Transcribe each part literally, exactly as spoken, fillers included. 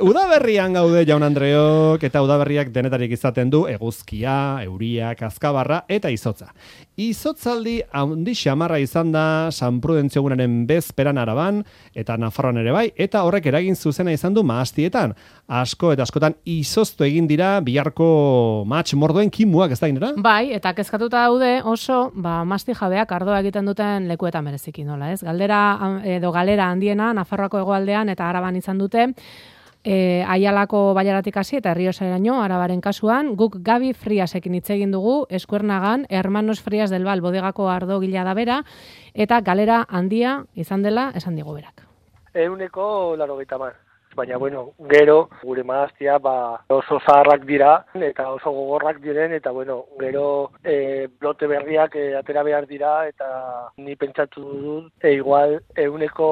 Udaberrian gaude, jaun Andreok, eta udaberriak denetarik izaten du eguzkia, euria, kazkabarra eta izotza. Izotzaldi handi xamarra izan da San Prudentzio egunaren bezperan Araban eta Nafarroan ere bai, eta horrek eragin zuzena izan du mahastietan. Asko eta askotan izoztu egin dira biharko matx mordoen kimuak, ez da inera? Bai, eta kezkatuta daude oso, ba, masti jabeak ardoa egiten duten lekuetan bereziki nola, ez? Galdera edo galera handiena Nafarroako hegoaldean eta Araban izan dute. E, Aialako Baiaratik hasi eta Errioxaraino Arabaren kasuan, guk Gabi Friasekin hitz egin dugu, Eskuernagan, Hermanos Frias del Val bodegako ardogila da bera, eta galera handia izan dela esan digu berak. Euneko laurogeita hamar. Baina, bueno, gero, gure mahastia, ba, oso zaharrak dira, eta oso gogorrak diren, eta, bueno, gero e, blote berriak e, atera behar dira, eta ni pentsatu dut, e, igual, euneko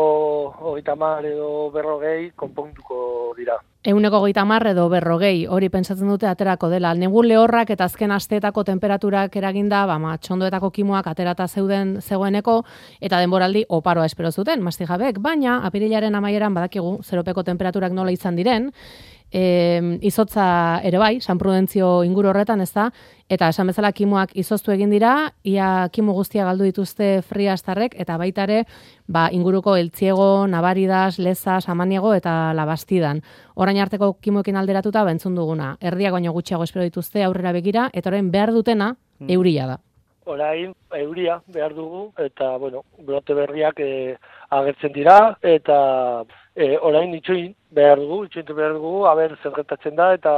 hogeita hamar edo berrogei konponduko dira. Euneko hogeita hamar edo berrogei, hori pentsatzen dute aterako dela. Negu lehorrak eta azken asteetako temperaturak eraginda, ba, txondoetako kimuak aterata zeuden zegoeneko, eta denboraldi oparoa espero zuten, mastijabek, baina apirilaren amaieran badakigu zeropeko temperaturak nola izan diren, e, izotza ere bai, San Prudentzio inguru horretan ez da, eta esan bezala kimuak izoztu egin dira, ia kimu guztia galdu dituzte Friastarrek, eta baitare ba, inguruko Eltziego, Navaridas, Leza, Samaniego eta Labastidan. Orain arteko kimuekin alderatuta bentzun duguna. Erdiak baino gutxiago espero dituzte aurrera begira, eta orain behar dutena euria da. Orain euria behar dugu, eta, bueno, brote berriak e, agertzen dira, eta e, orain itxoin behar dugu, itxoin behar dugu, haber zer gertatzen da, eta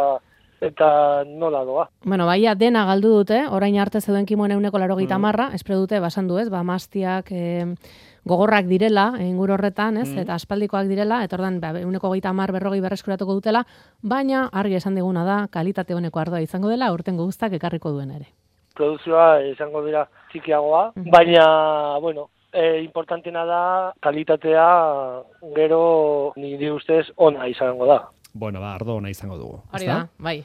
eta nola doa. Bueno, baia dena galdu dute, orain arte zeuden kimuen euneko laurogeita hamarra, espero dute, basan du ez, ba, mastiak e, gogorrak direla, inguru horretan, ez, mm. eta aspaldikoak direla, eta ordan ba, euneko hogeita hamar berrogei berreskuratuko dutela, baina argi esan diguna da, kalitate honeko ardoa izango dela, urtengo guztak ekarriko duen ere. Produzioa izango dira txikiagoa, mm. baina, bueno, e, importantena da, kalitatea gero nire ustez ona izango da. Bueno, ba, ardo ona izango dugu. Hori da, bai.